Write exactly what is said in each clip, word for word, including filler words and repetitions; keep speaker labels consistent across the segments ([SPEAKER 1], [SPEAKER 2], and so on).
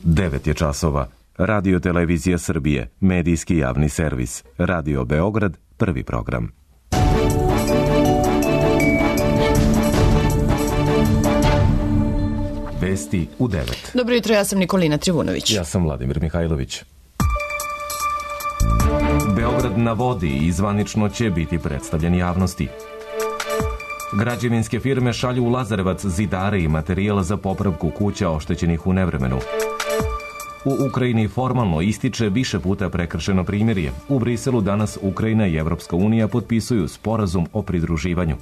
[SPEAKER 1] devet je časova. Radio Televizija Srbije, medijski javni servis. Radio Beograd, prvi program. Vesti u devet.
[SPEAKER 2] Dobro jutro, ja sam Nikolina Trivunović.
[SPEAKER 1] Ja sam Vladimir Mihajlović. Beograd na vodi i zvanično će biti predstavljen javnosti. Građevinske firme šalju u Lazarevac zidare i materijal za popravku kuća oštećenih u nevremenu. U Ukrajini formalno ističe više puta prekršeno primirje. U Briselu danas Ukrajina i Evropska unija potpisuju sporazum o pridruživanju.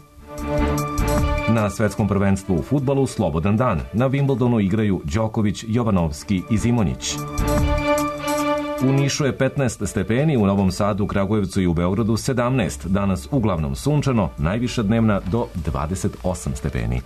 [SPEAKER 1] Na svetskom prvenstvu u fudbalu slobodan dan. Na Wimbledonu igraju Đoković, Jovanovski i Zimonjić. U Nišu je petnaest stepeni, u Novom Sadu, Kragujevcu i u Beogradu sedamnaest. Danas uglavnom sunčano, najviša dnevna do dvadeset osam stepeni.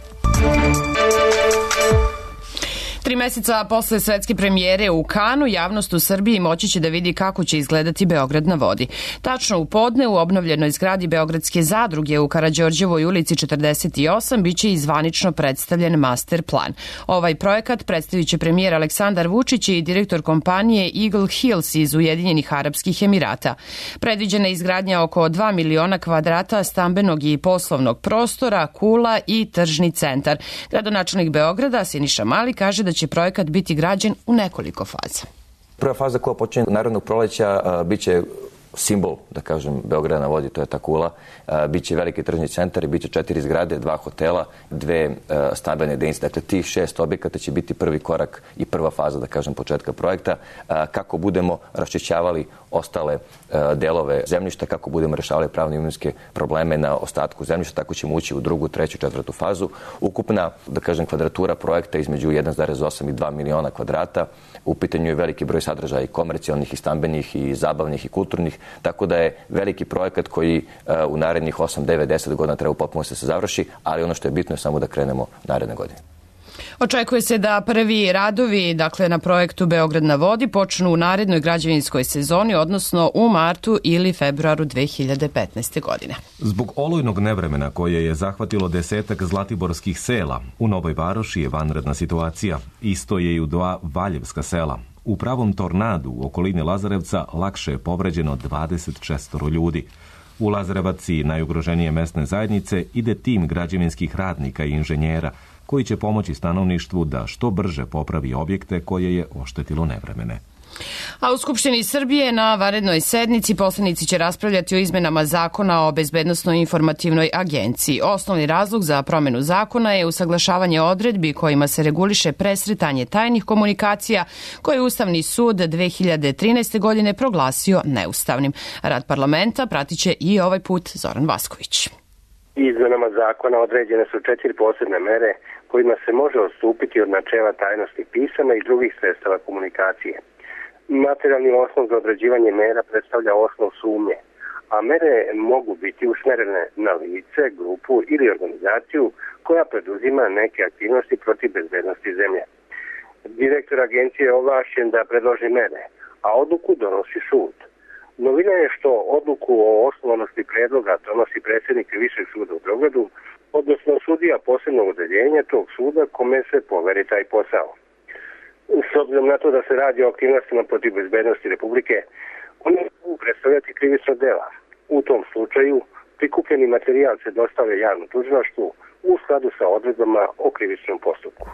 [SPEAKER 2] Tri meseca posle svetske premijere u Kanu, javnost u Srbiji moći će da vidi kako će izgledati Beograd na vodi. Tačno u podne u obnovljenoj zgradi Beogradske zadruge u Karađorđevoj ulici četrdeset osam biće i zvanično predstavljen master plan. Ovaj projekat predstavit će premijer Aleksandar Vučić i direktor kompanije Eagle Hills iz Ujedinjenih Arapskih Emirata. Predviđena je izgradnja oko dva miliona kvadrata stambenog i poslovnog prostora, kula i tržni centar. Gradonačelnik Beograda Siniša Mali kaže da će projekat biti građen u nekoliko faza.
[SPEAKER 3] Prva faza koja počinje narednog proleća bit će simbol, da kažem, Beograda na vodi, to je ta kula. Biće veliki tržni centar i biće četiri zgrade, dva hotela, dve stambene jedinice. Dakle, tih šest objekata će biti prvi korak i prva faza, da kažem, početka projekta. Kako budemo raščišćavali ostale delove zemljišta, kako budemo rešavali pravne imovinske probleme na ostatku zemljišta, tako ćemo ući u drugu, treću, četvrtu fazu. Ukupna, da kažem, kvadratura projekta između jedan zarez osam i dva miliona kvadrata. U pitanju je veliki broj sadržaja i komercijalnih, i stambenih, i zabavnih, i kulturnih, tako da je veliki projekat koji u narednih osam, devet, deset godina treba potpuno se završi, ali ono što je bitno je samo da krenemo naredne godine.
[SPEAKER 2] Očekuje se da prvi radovi, dakle na projektu Beograd na vodi, počnu u narednoj građevinskoj sezoni, odnosno u martu ili februaru dve hiljade petnaeste. godine.
[SPEAKER 1] Zbog olujnog nevremena koje je zahvatilo desetak zlatiborskih sela, u Novoj Varoši je vanredna situacija. Isto je i u dva valjevska sela. U pravom tornadu u okolini Lazarevca lakše je povređeno dvadeset šest ljudi. U Lazarevac i najugroženije mesne zajednice ide tim građevinskih radnika i inženjera koji će pomoći stanovništvu da što brže popravi objekte koje je oštetilo nevremene.
[SPEAKER 2] A u Skupštini Srbije na vanrednoj sednici poslanici će raspravljati o izmenama zakona o bezbednosnoj informativnoj agenciji. Osnovni razlog za promenu zakona je usaglašavanje odredbi kojima se reguliše presretanje tajnih komunikacija koje je Ustavni sud dve hiljade trinaeste. godine proglasio neustavnim. Rad parlamenta pratiće i ovaj put Zoran Vasković.
[SPEAKER 4] Izmenama zakona određene su četiri posebne mere kojima se može odstupiti od načela tajnosti pisama i drugih sredstava komunikacije. Materijalni osnov za određivanje mera predstavlja osnov sumnje, a mere mogu biti usmerene na lice, grupu ili organizaciju koja preduzima neke aktivnosti protiv bezbednosti zemlje. Direktor agencije je ovlašćen da predloži mere, a odluku donosi sud. Novina je što odluku o osnovanosti predloga donosi predsjednik Višeg suda u Beogradu, odnosno sudija posebnog odeljenja tog suda kome se poveri taj posao. S obzirom na to da se radi o aktivnostima protiv bezbednosti Republike, oni mogu predstavljati krivično dela. U tom slučaju prikupljeni materijal se dostavlja javnom tužilaštvu u skladu sa odredbama o krivičnom postupku.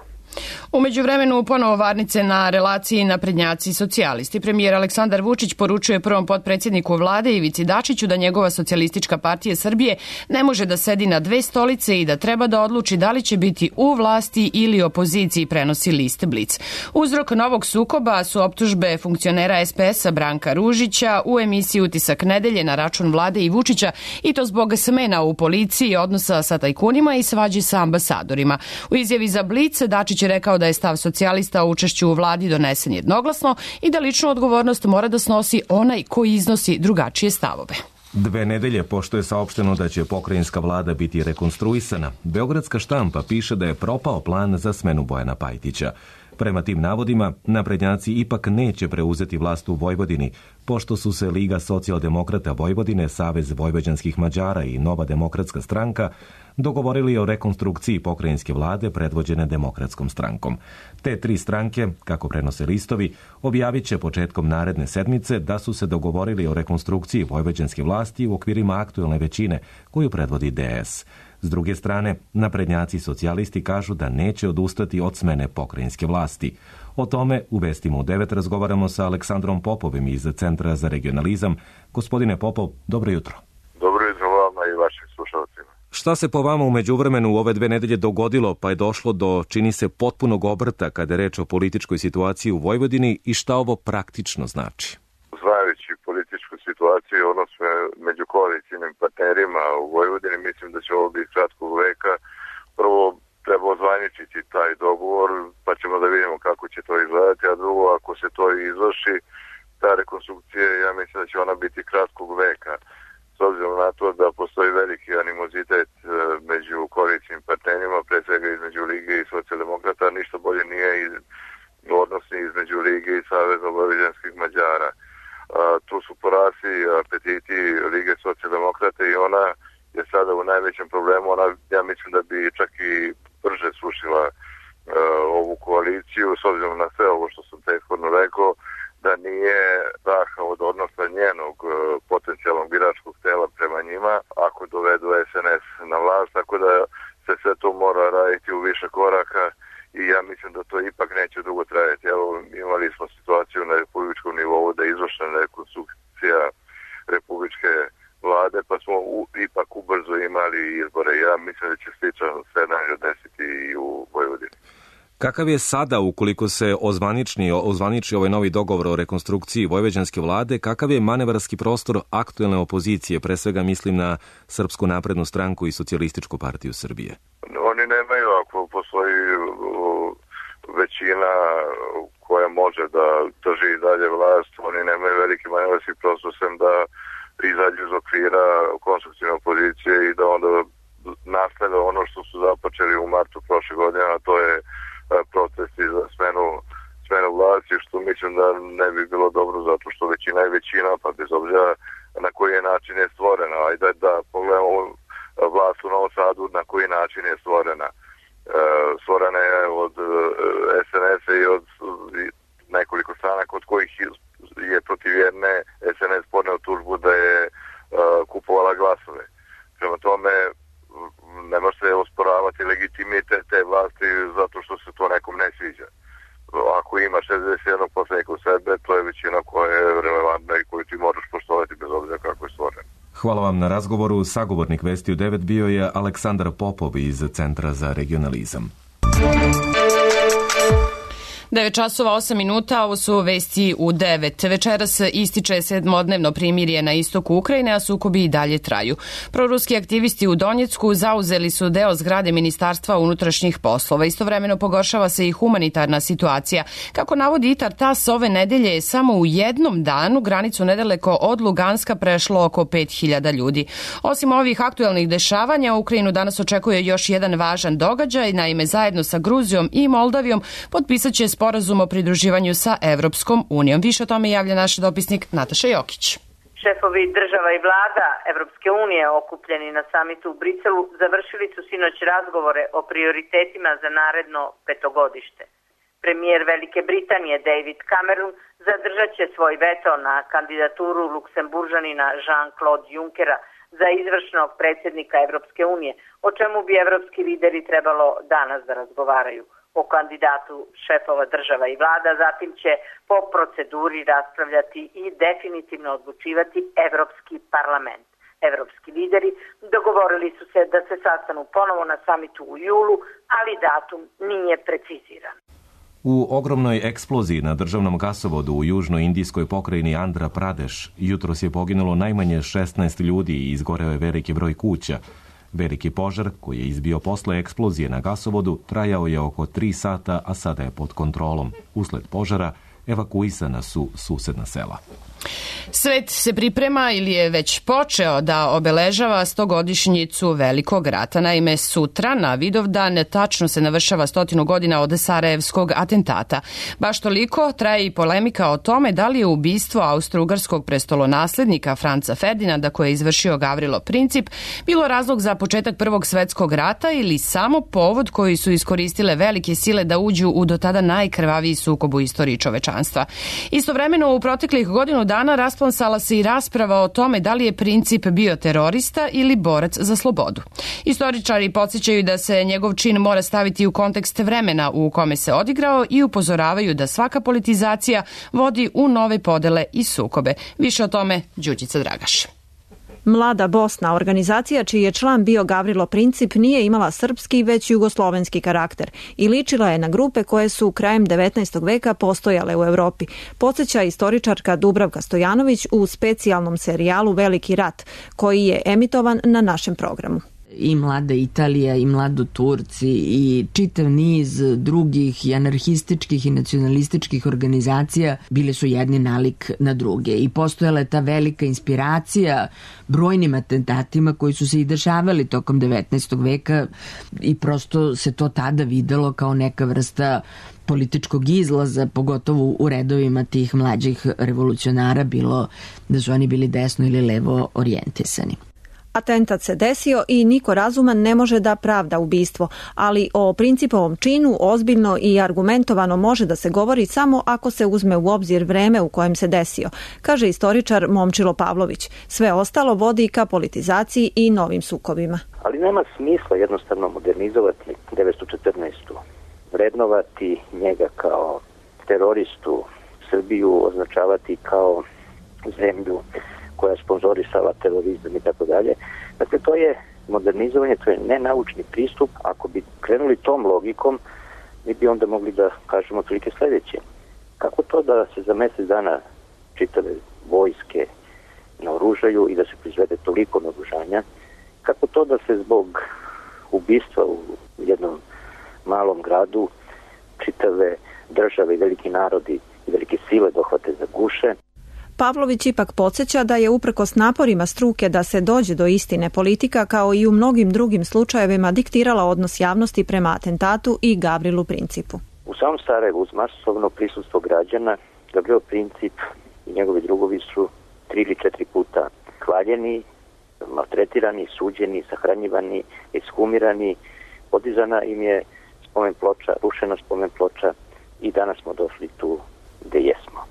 [SPEAKER 2] U međuvremenu ponovo varnice na relaciji naprednjaci i socijalisti. Premijer Aleksandar Vučić poručuje prvom potpredsjedniku vlade Ivici Dačiću da njegova socijalistička partija Srbije ne može da sedi na dve stolice i da treba da odluči da li će biti u vlasti ili opoziciji, prenosi list Blic. Uzrok novog sukoba su optužbe funkcionera es pe es-a Branka Ružića u emisiji Utisak nedelje na račun vlade i Vučića, i to zbog smena u policiji, odnosa sa tajkunima i svađi sa ambasadorima. U izjavi za Blic Dačić je rekao da je stav socijalista o učešću u vladi donesen jednoglasno i da ličnu odgovornost mora da snosi onaj koji iznosi drugačije stavove.
[SPEAKER 1] Dve nedelje pošto je saopšteno da će pokrajinska vlada biti rekonstruisana, beogradska štampa piše da je propao plan za smenu Bojana Pajtića. Prema tim navodima, naprednjaci ipak neće preuzeti vlast u Vojvodini, pošto su se Liga socijaldemokrata Vojvodine, Savez vojvođanskih Mađara i Nova demokratska stranka dogovorili o rekonstrukciji pokrajinske vlade predvođene Demokratskom strankom. Te tri stranke, kako prenose listovi, objavit će početkom naredne sedmice da su se dogovorili o rekonstrukciji vojvođanske vlasti u okvirima aktuelne većine koju predvodi D S. S druge strane, naprednjaci socijalisti kažu da neće odustati od smene pokrajinske vlasti. O tome u Vestima u devet razgovaramo sa Aleksandrom Popovim iz Centra za regionalizam. Gospodine Popov, dobro jutro.
[SPEAKER 5] Dobro jutro vama i vašim slušalcima.
[SPEAKER 1] Šta se po vama u međuvremenu u ove dve nedelje dogodilo, pa je došlo do, čini se, potpunog obrta kada je reč o političkoj situaciji u Vojvodini i šta ovo praktično znači?
[SPEAKER 5] Znajući političku situaciju, odnosno među koalicijnim partnerima u Vojvodini, mislim da će ovo biti kratkog veka. Prvo treba ozvaničiti taj dogovor, pa ćemo da vidimo kako će to izgledati, a drugo, ako se to izvrši, ta rekonstrukcija, ja mislim da će ona biti kratkog veka. S obzirom na to da postoji veliki animozitet među koalicijnim partnerima, pre svega između Lige i socijaldemokrata, ništa bolje nije odnosni između Lige i Saveza vojvođanskih Mađara. Tu su porasli apetiti Lige socijaldemokrata i ona je sada u najvećem problemu. Ona, ja mislim da bi čak i brže srušila uh, ovu koaliciju, s obzirom na sve ovo što sam prethodno rekao, da nije daha od odnosa njenog uh, potencijalnog biračkog tela prema njima, ako dovedu S N S na vlast, tako da se sve to mora raditi u više koraka i ja mislim da to ipak neće dugo trajati. Evo, imali smo situaciju na republičkom nivou da je izvršena rekonstrukcija republičke vlade, pa smo u, ipak ubrzo imali izbore. Ja mislim da će sličan scenarij desiti i u Vojvodini.
[SPEAKER 1] Kakav je sada, ukoliko se ozvaniči, ozvaniči ovaj novi dogovor o rekonstrukciji vojvođanske vlade, kakav je manevarski prostor aktuelne opozicije, pre svega mislim na Srpsku naprednu stranku i Socijalističku partiju Srbije?
[SPEAKER 5] Oni nemaju, ako postoji većina koja može da drži i dalje vlast, oni nemaju veliki manevarski prostor sem da izađu iz okvira konstruktivne opozicije i da onda nastave ono što su započeli u martu prošle godine, a to je protesti za smenu, smenu vlasti, što mislim da ne bi bilo dobro zato što većina je većina, pa bez obzira na koji način je stvorena. Ajde da pogledamo vlast u Novom Sadu na koji način je stvorena. Stvorena je od S N S-a i od nekoliko stranaka od kojih je protiv jedne S N S podneo tužbu da je kupovala glasove. Prema tome, ne može se osporavati legitimitet te vlasti zato što se to nekom ne sviđa. Ako ima šezdeset jedan poslanika u sebe, to je većina koja je relevantna i koju ti moraš poštovati bez obzira kako je stvoren.
[SPEAKER 1] Hvala vam na razgovoru. Sagovornik Vesti u devet bio je Aleksandar Popov iz Centra za regionalizam.
[SPEAKER 2] devet časova osam minuta, ovo su Vesti u devet. Večeras ističe sedmodnevno primirje na istoku Ukrajine, a sukobi i dalje traju. Proruski aktivisti u Donjecku zauzeli su deo zgrade Ministarstva unutrašnjih poslova. Istovremeno pogoršava se i humanitarna situacija. Kako navodi Itar Tas, ove nedelje je samo u jednom danu granicu nedaleko od Luganska prešlo oko pet hiljada ljudi. Osim ovih aktuelnih dešavanja, Ukrajinu danas očekuje još jedan važan događaj. Naime, zajedno sa Gruzijom i Moldavijom potpisat će sporazum o pridruživanju sa Evropskom unijom. Više o tome javlja naš dopisnik Nataša Jokić.
[SPEAKER 6] Šefovi država i vlada Evropske unije okupljeni na samitu u Briselu završili su sinoć razgovore o prioritetima za naredno petogodište. Premijer Velike Britanije David Cameron zadržat će svoj veto na kandidaturu Luksemburžanina Jean-Claude Junckera za izvršnog predsjednika Evropske unije, o čemu bi evropski lideri trebalo danas da razgovaraju. O kandidatu šefova država i vlada, zatim će po proceduri raspravljati i definitivno odlučivati Evropski parlament. Evropski lideri dogovorili su se da se sastanu ponovo na samitu u julu, ali datum nije preciziran.
[SPEAKER 1] U ogromnoj eksploziji na državnom gasovodu u južnoindijskoj pokrajini Andhra Pradesh jutros je poginulo najmanje šesnaest ljudi i izgoreo je veliki broj kuća. Veliki požar, koji je izbio posle eksplozije na gasovodu, trajao je oko tri sata, a sada je pod kontrolom. Usled požara evakuisana su susedna sela.
[SPEAKER 2] Svet se priprema ili je već počeo da obeležava stogodišnjicu Velikog rata. Naime, sutra na Vidovdan tačno se navršava stotinu godina od Sarajevskog atentata. Baš toliko traje i polemika o tome da li je ubistvo austro-ugarskog prestolonaslednika Franca Ferdinanda koje je izvršio Gavrilo Princip bilo razlog za početak Prvog svetskog rata ili samo povod koji su iskoristile velike sile da uđu u do tada najkrvaviji sukob u istoriji čovečanstva. Istovremeno u proteklih godinu dana rasplamsala se i rasprava o tome da li je Princip bio terorista ili borac za slobodu. Istoričari podsjećaju da se njegov čin mora staviti u kontekst vremena u kome se odigrao i upozoravaju da svaka politizacija vodi u nove podele i sukobe. Više o tome Đurđica Dragaš.
[SPEAKER 7] Mlada Bosna, organizacija čiji je član bio Gavrilo Princip, nije imala srpski već jugoslovenski karakter i ličila je na grupe koje su krajem devetnaestog veka postojale u Evropi. Podsjeća istoričarka Dubravka Stojanović u specijalnom serijalu Veliki rat, koji je emitovan na našem programu.
[SPEAKER 8] I Mlada Italija, i Mlado Turci, i čitav niz drugih i anarhističkih i nacionalističkih organizacija bile su jedni nalik na druge. I postojala je ta velika inspiracija brojnim atentatima koji su se i dešavali tokom devetnaestog veka i prosto se to tada videlo kao neka vrsta političkog izlaza, pogotovo u redovima tih mlađih revolucionara, bilo da su oni bili desno ili levo orijentisani.
[SPEAKER 7] Atentat se desio i niko razuman ne može da pravda ubistvo, ali o Principovom činu ozbiljno i argumentovano može da se govori samo ako se uzme u obzir vreme u kojem se desio, kaže istoričar Momčilo Pavlović. Sve ostalo vodi ka politizaciji i novim sukobima.
[SPEAKER 9] Ali nema smisla jednostavno modernizovati devetsto četrnaestu vrednovati njega kao teroristu, Srbiju označavati kao zemlju koja je sponzorisala terorizam i tako dalje. Dakle, to je modernizovanje, to je nenaučni pristup. Ako bi krenuli tom logikom, mi bi onda mogli da kažemo otprilike sledeće. Kako to da se za mesec dana čitave vojske naoružaju i da se proizvede toliko naoružanja? Kako to da se zbog ubistva u jednom malom gradu čitave države i veliki narodi i velike sile dohvate za guše?
[SPEAKER 7] Pavlović ipak podsjeća da je uprkos naporima struke da se dođe do istine politika kao i u mnogim drugim slučajevima diktirala odnos javnosti prema atentatu i Gavrilu Principu.
[SPEAKER 9] U samom Sarajevu uz masovno prisustvo građana Gavrilo Princip i njegovi drugovi su tri ili četiri puta klaljeni, maltretirani, suđeni, sahranjivani, ekshumirani, podizana im je spomen ploča, rušena spomen ploča i danas smo došli tu gde jesmo.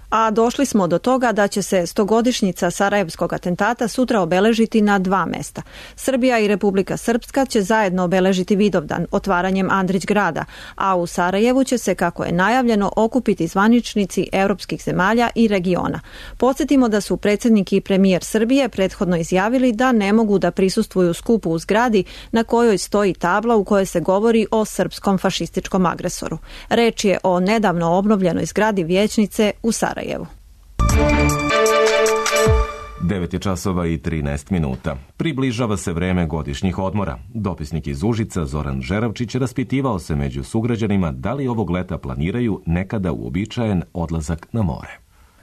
[SPEAKER 7] A došli smo do toga da će se stogodišnjica Sarajevskog atentata sutra obeležiti na dva mesta. Srbija i Republika Srpska će zajedno obeležiti Vidovdan otvaranjem Andrić grada, a u Sarajevu će se, kako je najavljeno, okupiti zvaničnici evropskih zemalja i regiona. Podsjetimo da su predsjednik i premijer Srbije prethodno izjavili da ne mogu da prisustvuju skupu u zgradi na kojoj stoji tabla u kojoj se govori o srpskom fašističkom agresoru. Reč je o nedavno obnovljenoj zgradi vijećnice u Sarajevu.
[SPEAKER 1] devet je časova i trinaest minuta. Približava se vreme godišnjih odmora. Dopisnik iz Užica Zoran Žeravčić raspitivao se među sugrađanima da li ovog leta planiraju nekada uobičajen odlazak na more.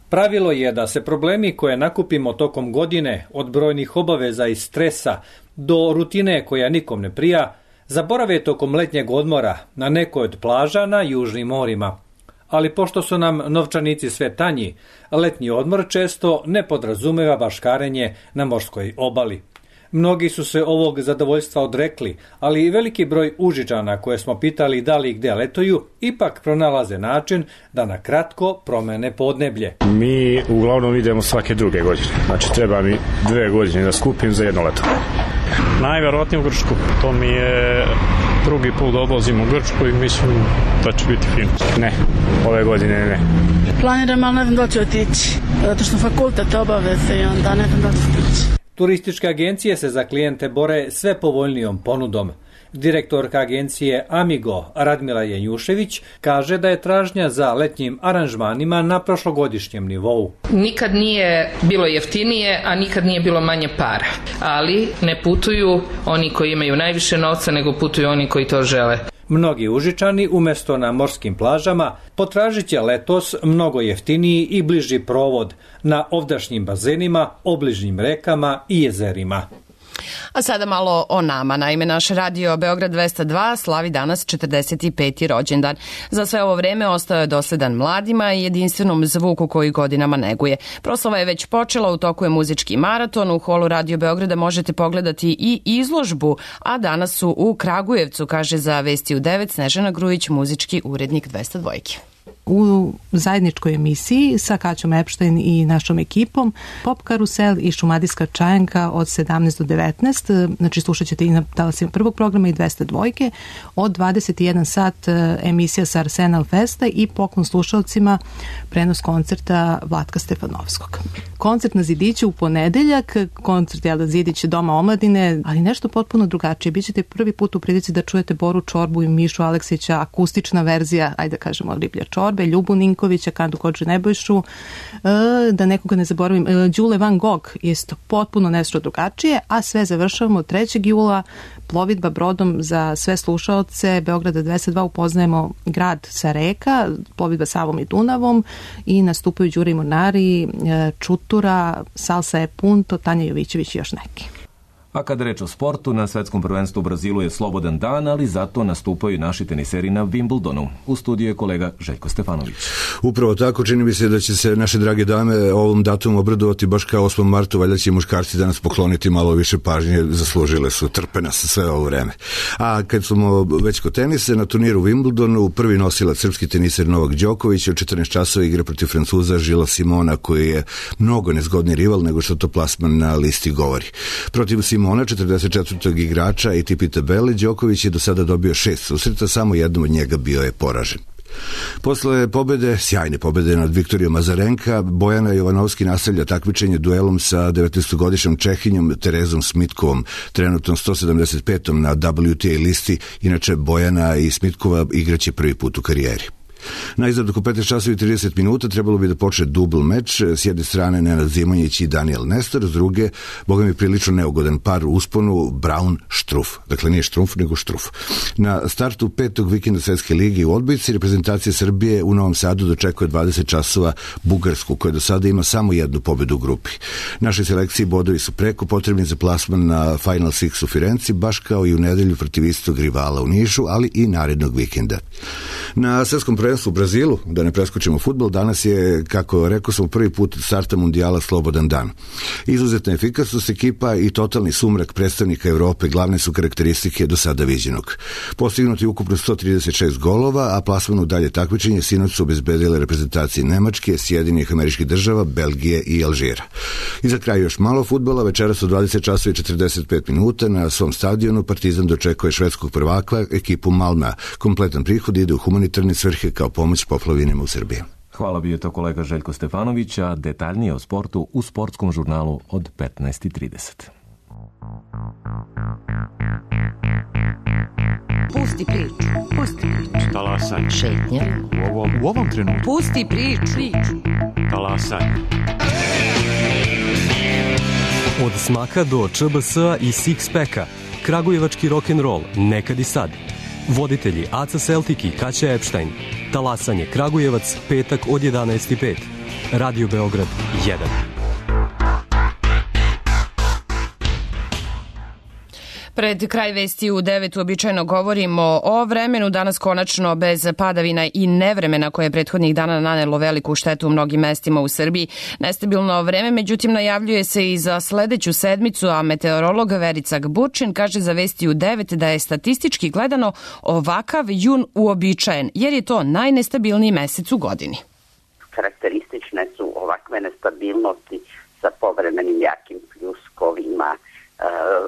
[SPEAKER 10] Pravilo je da se problemi koje nakupimo tokom godine, od brojnih obaveza i stresa do rutine koja nikom ne prija, zaborave tokom letnjeg odmora na nekoj od plaža na južnim morima. Ali pošto su nam novčanici sve tanji, letnji odmor često ne podrazumeva baškarenje na morskoj obali. Mnogi su se ovog zadovoljstva odrekli, ali i veliki broj Užičana koje smo pitali da li i gde letuju, ipak pronalaze način da na kratko promene podneblje.
[SPEAKER 11] Mi uglavnom idemo svake druge godine, znači treba mi dve godine da skupim za jedno leto.
[SPEAKER 12] Najverovatnije u Grčku, to mi je drugi put da odlazim u Grčku i mislim da će biti fino.
[SPEAKER 11] Ne, ove godine ne.
[SPEAKER 13] Planiram, ali ne znam da ću otići, zato što fakultet obaveze i onda ne znam da ću otići.
[SPEAKER 10] Turističke agencije se za klijente bore sve povoljnijom ponudom. Direktorka agencije Amigo Radmila Janjušević kaže da je tražnja za letnjim aranžmanima na prošlogodišnjem nivou.
[SPEAKER 14] Nikad nije bilo jeftinije, a nikad nije bilo manje para. Ali ne putuju oni koji imaju najviše novca, nego putuju oni koji to žele.
[SPEAKER 10] Mnogi Užičani umjesto na morskim plažama potražit će letos mnogo jeftiniji i bliži provod na ovdašnjim bazenima, obližnjim rekama i jezerima.
[SPEAKER 2] A sada malo o nama. Naime, naš radio Beograd dvesta dva slavi danas četrdeset peti rođendan. Za sve ovo vreme ostao je dosledan mladima i jedinstvenom zvuku koji godinama neguje. Proslava je već počela, u toku je muzički maraton. U holu Radio Beograda možete pogledati i izložbu, a danas su u Kragujevcu, kaže za Vesti u devet Snežana Grujić, muzički urednik dvesta dva.
[SPEAKER 15] U zajedničkoj emisiji sa Kaćom Epštajn i našom ekipom Pop Karusel i Šumadijska čajanka od sedamnaest do devetnaest, znači slušat ćete i na talasima prvog programa i dvesta dva, od dvadeset jedan sat emisija sa Arsenal Festa i poklon slušalcima prenos koncerta Vlatka Stefanovskog. Koncert na Zidiću u ponedeljak, koncert Jelda Zidić Doma omladine, ali nešto potpuno drugačije. Bićete prvi put u prilici da čujete Boru Čorbu i Mišu Aleksića, akustična verzija, ajde da kažemo, Riblja Čorbe, Ljubu Ninkovića, Kandu Kodže Nebojšu, da nekoga ne zaboravim, Đule Van Gogh, isto potpuno nešto drugačije, a sve završavamo trećeg jula plovidba brodom za sve slušaoce Beograda dvesta dva, upoznajemo grad sa reka, plovidba Savom i Dunavom i nastupaju Đuri Mornari, Čutura, Salsa e Punto, Tanja Jovićević i još neki.
[SPEAKER 1] A kada reč o sportu, na svetskom prvenstvu u Brazilu je slobodan dan, ali zato nastupaju naši teniseri na Wimbledonu. U studiju je kolega Željko Stefanović.
[SPEAKER 16] Upravo tako, čini mi se da će se naše drage dame ovom datumu obradovati baš kao osmom martu, valjda će i muškarci danas pokloniti malo više pažnje, zaslužile su, trpe nas sve ovo vreme. A kad smo već kod tenisa, na turniru u Wimbledonu prvi nosilac srpski teniser Novak Đoković u četrnaest časova igra protiv Francuza Žila Simona, koji je mnogo nezgodni rival nego što to plasman na listi govori. Protiv Simona Simona, četrdeset četvrtog igrača A T P tabele, Đoković je do sada dobio šest susreta, samo jednom od njega bio je poražen. Posle pobede, sjajne pobede nad Viktorijom Azarenka, Bojana Jovanovski nastavlja takmičenje duelom sa devetnaestogodišnjom Čehinjom Terezom Smitkovom, trenutno sto sedamdeset petom na W T A listi. Inače, Bojana i Smitkova igraće prvi put u karijeri. Najzad oko petnaest časova i trideset minuta trebalo bi da počne dubl meč, s jedne strane Nenad Zimonjić i Daniel Nestor, s druge, boga mi prilično neugodan par u usponu, Brown-Štruf. Dakle, nije Štrumf, nego Štruf. Na startu petog vikenda Svetske lige u odbojci, reprezentacija Srbije u Novom Sadu dočekuje dvadeset časova Bugarsku, koja do sada ima samo jednu pobedu u grupi. Našoj selekciji bodovi su preko potrebni za plasman na Final Six u Firenci, baš kao i u nedelju protiv istog rivala u Nišu, ali i narednog vikenda. Na svetskom prvenstvu u Brazilu, da ne preskočimo fudbal, danas je, kako rekao sam, prvi put starta mundijala slobodan dan. Izuzetna efikasnost ekipa i totalni sumrak predstavnika Evrope glavne su karakteristike do sada viđenog. Postignuti ukupno sto trideset šest golova, a plasman u dalje takmičenje sinoć su obezbedile reprezentacije Nemačke, Sjedinjenih Američkih Država, Belgije i Alžira. I za kraj još malo fudbala, večeras u dvadeset časova i četrdeset pet minuta na svom stadionu Partizan dočekuje švedskog prvaka ekipu Malma. Kompletan prihod ide u humanitarne svrhe kao pomoć poplavinama u Srbiji.
[SPEAKER 1] Hvala, bio je to kolega Željko Stefanović, a detaljnije o sportu u sportskom žurnalu od petnaest i trideset.
[SPEAKER 17] Pusti priču, pusti priču.
[SPEAKER 18] Talasaj.
[SPEAKER 17] Šetnja.
[SPEAKER 18] U ovom, u ovom trenutku.
[SPEAKER 17] Pusti priču.
[SPEAKER 18] Talasaj.
[SPEAKER 19] Od smaka do Č B S-a i Six-packa. Kragujevački rock'n'roll, nekad i sad. Voditelji Aca Celtic i Kaća Epštajn. Talasanje Kragujevac, petak od jedanaest i pet. Radio Beograd jedan.
[SPEAKER 2] Pred kraj vesti u devet uobičajeno govorimo o vremenu, danas konačno bez padavina i nevremena koje je prethodnih dana nanelo veliku štetu u mnogim mestima u Srbiji. Nestabilno vreme, međutim, najavljuje se i za sledeću sedmicu, a meteorolog Verica Gburčin kaže za vesti u devet da je statistički gledano ovakav jun uobičajen, jer je to najnestabilniji mesec u godini.
[SPEAKER 20] Karakteristične su ovakve nestabilnosti sa povremenim jakim pljuskovima,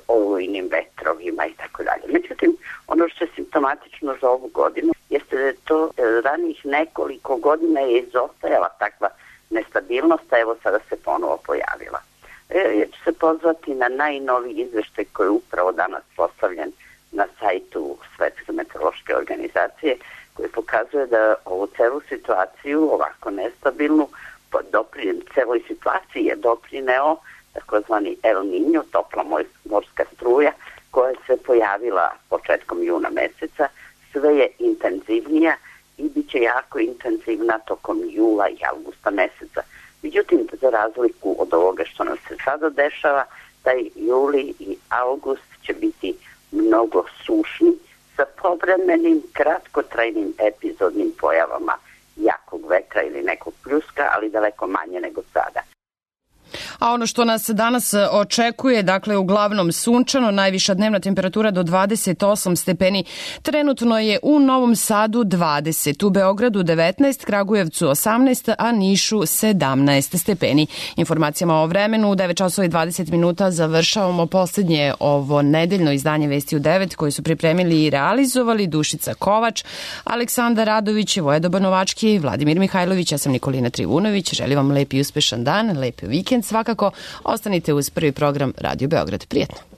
[SPEAKER 20] olujnim vetrovima i tako dalje. Međutim, ono što je simptomatično za ovu godinu jeste da je to ranih nekoliko godina je izostajala takva nestabilnost, a evo sada se ponovo pojavila. Ja ću se pozvati na najnoviji izveštaj koji je upravo danas postavljen na sajtu Svetske meteorološke organizacije, koji pokazuje da ovu celu situaciju, ovako nestabilnu, pod doprinjem celoj situaciji je doprineo takozvani El Niño, topla morska struja, koja se pojavila početkom juna meseca sve je intenzivnija i bit će jako intenzivna tokom jula i avgusta meseca. Međutim, za razliku od ovoga što nam se sada dešava, taj juli i avgust će biti mnogo sušni sa povremenim kratkotrajnim epizodnim pojavama jakog vetra ili nekog pljuska, ali daleko manje nego sada.
[SPEAKER 2] A ono što nas danas očekuje, dakle uglavnom sunčano, najviša dnevna temperatura do dvadeset osam stepeni. Trenutno je u Novom Sadu dvadeset, u Beogradu devetnaest, Kragujevcu osamnaest, a Nišu sedamnaest stepeni. Informacijama o vremenu u devet časova i dvadeset minuta završavamo poslednje ovo nedeljno izdanje Vesti u devet koje su pripremili i realizovali Dušica Kovač, Aleksandar Radović, Vojedoba Novački, Vladimir Mihajlović, ja sam Nikolina Trivunović. Želim vam lep i uspešan dan, lep vikend svakako. Ostanite uz prvi program Radio Beograd. Prijetno.